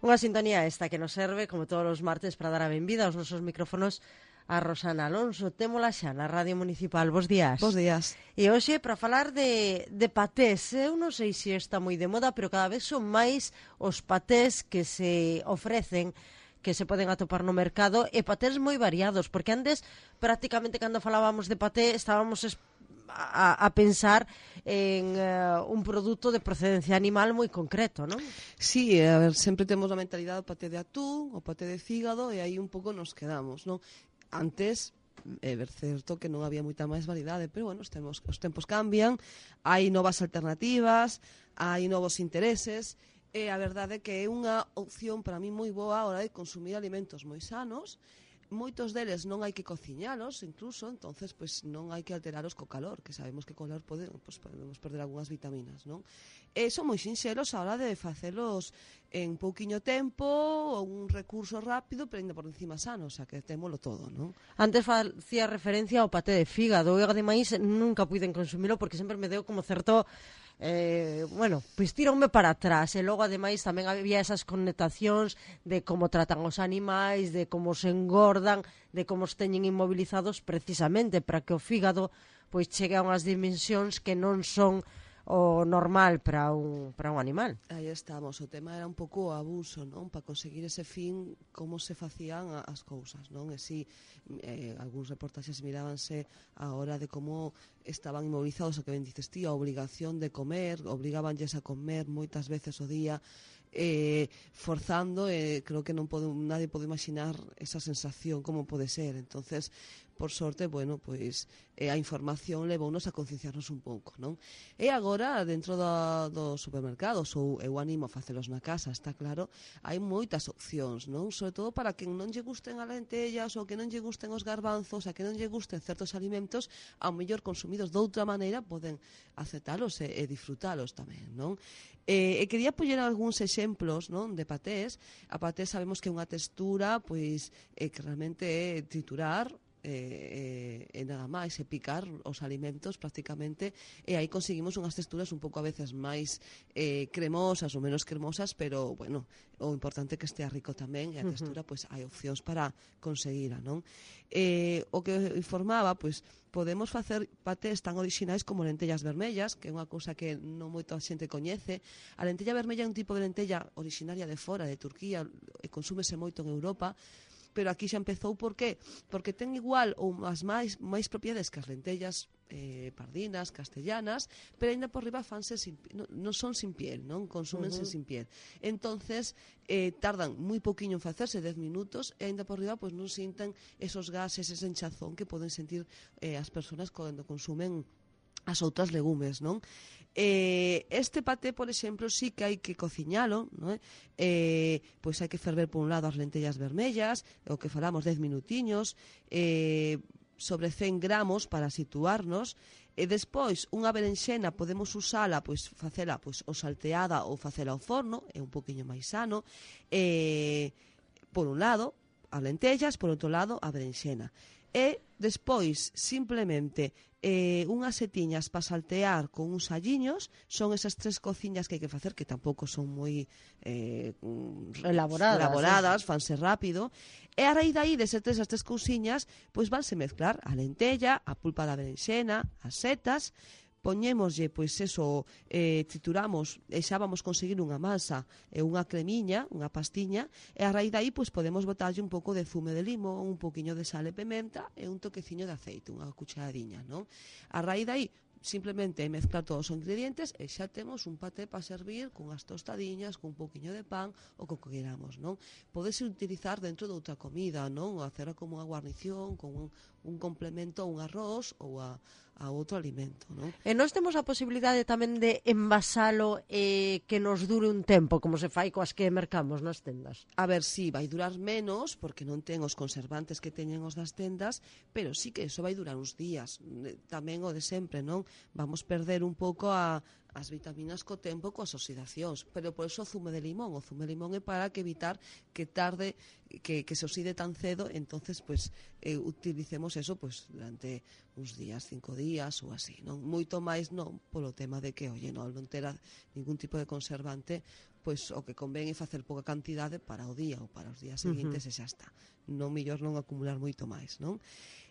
Unha sintonía esta que nos serve, como todos os martes, para dar a benvida aos nosos micrófonos a Rosana Alonso. Témola xa na Radio Municipal. Bos días. Bos días. E hoxe, para falar de patés, eu non sei se está moi de moda, pero cada vez son máis os patés que se ofrecen, que se poden atopar no mercado, e patés moi variados, porque antes, prácticamente, cando falábamos de paté, estábamos a pensar en un produto de procedencia animal moi concreto, non? Sí, a ver, sempre temos a mentalidade do paté de atún, o paté de fígado, e aí un pouco nos quedamos, non? Antes, é certo que non había moita máis variedade, pero, bueno, os tempos cambian, hai novas alternativas, hai novos intereses, e a verdade é que é unha opción para mí moi boa a hora de consumir alimentos moi sanos. Moitos deles non hai que cociñalos, incluso, entonces pues non hai que alteraros co calor, que sabemos que co calor podemos perder algunhas vitaminas, non? E son moi sinxeros a hora de facelos en pouquiño tempo, ou un recurso rápido, pero ainda por encima sano, o sea, que témolo todo, non? Antes facía referencia ao paté de fígado, eu ademais nunca puiden consumilo porque sempre me deu como certo... pois tironme para atrás, e logo ademais tamén había esas connotacións de como tratan os animais, de como se engordan, de como os teñen inmovilizados, precisamente para que o fígado pois chegue a unhas dimensións que non son o normal para un animal. Aí estamos, o tema era un pouco o abuso, non? Para conseguir ese fin, como se facían as cousas, non? E si, algúns reportaxes mirábanse a hora de como estaban inmovilizados, o que ben dices ti, a obligación de comer, obligabanlles a comer moitas veces o día, forzando, creo que nadie pode imaginar esa sensación, como pode ser. Entonces, por sorte, bueno, pois a información levounos a concienciarnos un pouco, non? E agora, dentro dos supermercados, ou eu animo a facelos na casa, está claro, hai moitas opcións, non? Sobre todo para quen non lle gusten as lentellas, ou que non lle gusten os garbanzos, a que non lle gusten certos alimentos, ao mellor consumidos de outra maneira, poden aceptalos e disfrutalos tamén, non? E quería poñer algúns exemplos, non, de patés. A paté sabemos que é unha textura, pois, que realmente é triturar, e nada máis, e picar os alimentos prácticamente, e aí conseguimos unhas texturas un pouco a veces máis cremosas ou menos cremosas, pero bueno, o importante é que estea rico tamén, e a textura, pois hai opcións para conseguila, non? O que informaba, pois podemos facer patés tan orixinais como lentellas vermellas, que é unha cousa que non moita xente coñece. A lentella vermella é un tipo de lentella originaria de fora, de Turquía, e consúmese moito en Europa, pero aquí xa empezou, por qué? Porque ten igual ou as máis propiedades que as lentellas pardinas, castellanas, pero ainda por riba fanse non son sin piel, non? Consúmense sin piel. Entonces, tardan moi pouquiño en facerse, 10 minutos, e ainda por riba pois non sinten esos gases, ese enchazón que poden sentir as persoas cando consumen as outras legumes, non? Este paté, por exemplo, sí que hai que cociñalo, non? Pois hai que ferver por un lado as lentellas vermellas, o que falamos 10 minutiños, sobre 100 gramos para situarnos, e despois unha berenxena podemos usala, pois facela pois ou salteada ou facela ao forno, é un poquinho máis sano, por un lado as lentellas, por outro lado a berenxena. E despois, simplemente, unhas setiñas para saltear con uns alliños, son esas 3 cociñas que hai que facer, que tampouco son moi elaboradas, fanse rápido, e a raíz daí, esas 3 cousiñas, pois vanse mezclar a lentella, a pulpa da berenxena, as setas, poñémoslle, pois eso, trituramos, e xa vamos conseguir unha masa e unha cremiña, unha pastiña, e a raíz daí pois podemos botarlle un pouco de zume de limón, un poquinho de sal e pimenta e un toqueciño de aceite, unha cucharadiña, non? A raíz daí simplemente mezclar todos os ingredientes e xa temos un paté para servir con as tostadiñas, con un pouquiño de pan ou co que queramos, non? Podese utilizar dentro de outra comida, non? Ou hacer como unha guarnición, con un complemento a un arroz ou a outro alimento, non? E nós temos a posibilidade tamén de envasalo e que nos dure un tempo, como se fai coas que mercamos nas tendas. A ver, si, vai durar menos, porque non ten os conservantes que teñen os das tendas, pero sí que iso vai durar uns días. Tamén o de sempre, non? Vamos perder un pouco as vitaminas co tempo, coas oxidacións, pero por eso o zume de limón é para que evitar que tarde, que se oxide tan cedo, entonces pues utilicemos eso pues durante uns días, 5 días ou así, non? Moito máis non, polo tema de que, non ter ningún tipo de conservante, pois o que convén é facer pouca cantidade para o día ou para os días seguintes e xa está. Non mellor non acumular moito máis, non?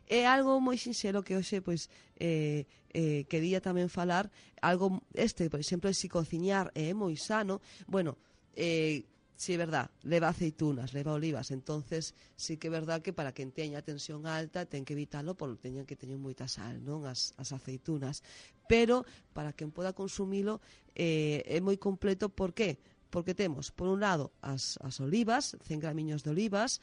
É algo moi sinxelo que hoxe pois quería tamén falar algo por exemplo, se cociñar é moi sano, bueno, si é verdad, leva aceitunas, leva olivas, entonces sí que é verdad que para quen teña tensión alta ten que evitalo porque teñen que teñer moita sal, non? As aceitunas, pero para quen poda consumilo é moi completo, por qué? Porque temos, por un lado, as olivas, 100 gramiños de olivas,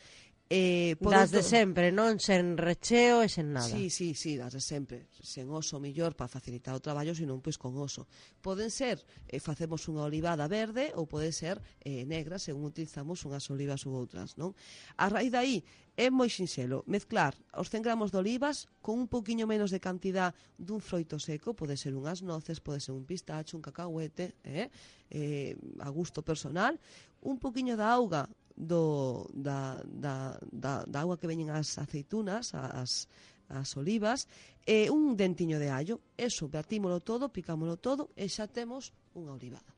das de sempre, non? Sen recheo e sen nada. Sí, das de sempre. Sen oso millor para facilitar o traballo, senón pois con oso. Poden ser, facemos unha olivada verde ou pode ser negra, según utilizamos unhas olivas ou outras, non? A raíz daí é moi sinxelo mezclar os 100 gramos de olivas con un pouquiño menos de cantidad dun froito seco, pode ser unhas noces, pode ser un pistacho, un cacahuete, a gusto personal, un pouquiño da auga da auga que veñen as aceitunas, as olivas, e un dentiño de allo. Eso, batímolo todo, picámolo todo e xa temos unha olivada.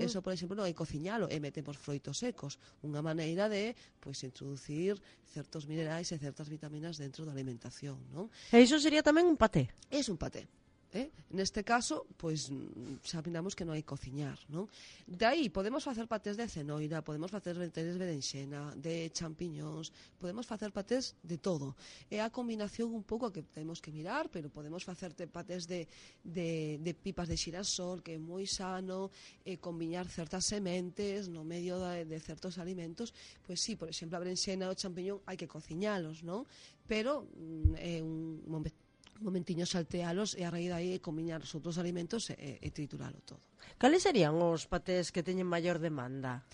Eso, por exemplo, non hai cociñalo e metemos froitos secos, unha maneira de introducir certos minerais e certas vitaminas dentro da alimentación, non? E iso sería tamén un paté? É un paté. Neste caso, pois xa miramos que non hai cociñar, non? De aí podemos facer patés de cenoira, podemos facer patés de berenxena, de champiñóns, podemos facer patés de todo. É a combinación un pouco que temos que mirar, pero podemos facerte patés de pipas de xirasol, que é moi sano, combinar certas sementes no medio de certos alimentos. Pois sí, por exemplo, a berenxena ou o champiñón hai que cociñalos, non? Pero é un momentiño saltealos e a raíz daí combiñar os outros alimentos e trituralo todo. Cales serían os patés que teñen maior demanda?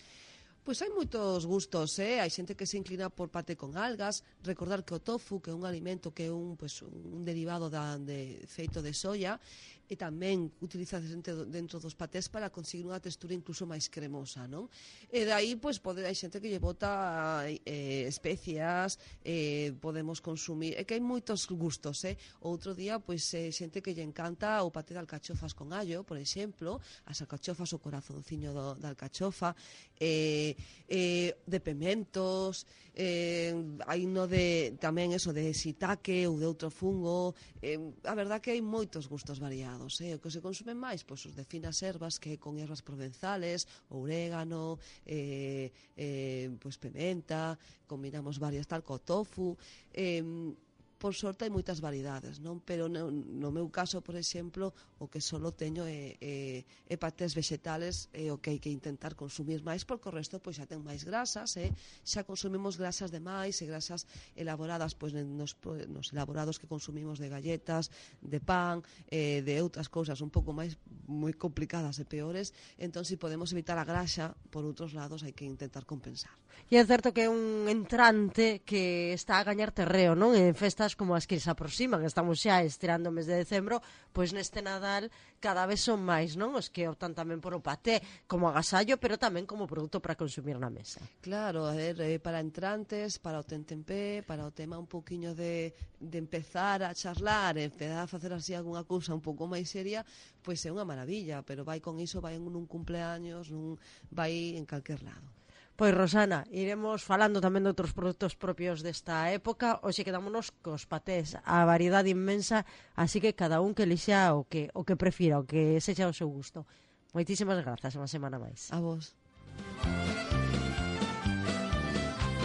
Pois hai moitos gustos, hai xente que se inclina por paté con algas. Recordar que o tofu, que é un alimento que é un derivado feito de soia, e tamén utiliza dentro dos patés para conseguir unha textura incluso máis cremosa, non? E dai, hai xente que lle bota especias, podemos consumir, é que hai moitos gustos, Outro día, xente que lle encanta o paté de alcachofas con allo, por exemplo, as alcachofas, o corazonciño da alcachofa, de pementos, hai tamén eso de shiitake ou de outro fungo. A verdad que hai moitos gustos variados. O que se consumen máis, os de finas ervas, que con ervas provenzales, orégano, pimenta, combinamos varias tal co tofu. Por sorte hai moitas variedades, non? Pero no meu caso, por exemplo, o que solo teño é patés vegetales, o que hai que intentar consumir máis, porque o resto xa ten máis grasas, xa consumimos grasas de máis e grasas elaboradas nos elaborados que consumimos de galletas, de pan, de outras cousas un pouco máis moi complicadas e peores. Entón, se podemos evitar a grasa, por outros lados hai que intentar compensar. E é certo que é un entrante que está a gañar terreo, non? En festas como as que se aproximan, estamos xa estirando o mes de decembro, pois neste Nadal cada vez son máis, non? Os que optan tamén por o paté como agasallo, pero tamén como produto para consumir na mesa. Claro, a ver, para entrantes, para o tentempé, para o tema un poquinho de empezar a charlar, empezar a facer así algunha cousa un pouco máis seria, pois é unha maravilla, pero vai con iso, vai en un cumpleaños, vai en calquer lado. Pois, Rosana, iremos falando tamén de outros produtos propios desta época. Hoxe quedámonos cos patés, a variedade inmensa, así que cada un que elixa o que prefira, o que sexa o seu gusto. Moitísimas grazas, unha semana máis. A vos.